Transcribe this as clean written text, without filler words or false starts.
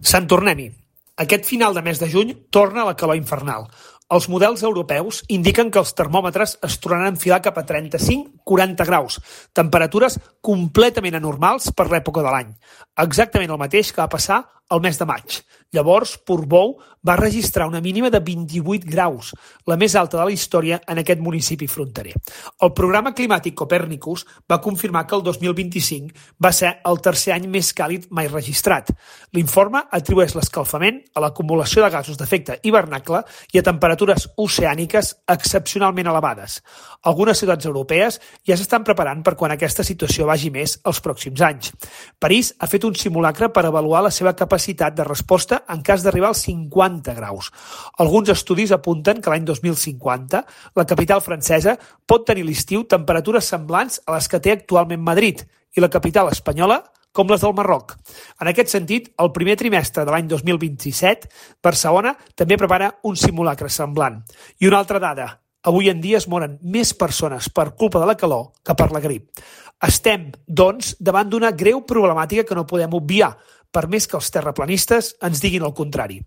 Sant tornem-hi. Aquest final de mes de juny torna la calor infernal. Els models europeus indiquen que els termòmetres es tornaran a enfilar cap a 35-40 graus, temperatures completament anormals per l'època de l'any. Exactament el mateix que va passar al mes de maig. Llavors, Portbou va registrar una mínima de 28 graus, la més alta de la història en aquest municipi fronterer. El programa climàtic Copernicus va confirmar que el 2025 va ser el tercer any més càlid mai registrat. L'informe atribueix l'escalfament a l'acumulació de gasos d'efecte hivernacle i a temperatures oceàniques excepcionalment elevades. Algunes ciutats europees ja s'estan preparant per quan aquesta situació vagi més els pròxims anys. París ha fet un simulacre per avaluar la seva capacitat de resposta en cas d'arribar als 50 graus. Alguns estudis apunten que l'any 2050 la capital francesa pot tenir a l'estiu temperatures semblants a les que té actualment Madrid i la capital espanyola com les del Marroc. En aquest sentit, el primer trimestre de l'any 2027, Barcelona també prepara un simulacre semblant. I una altra dada, avui en dia es moren més persones per culpa de la calor que per la grip. Estem, doncs, davant d'una greu problemàtica que no podem obviar, per més que els terraplanistes ens diguin el contrari.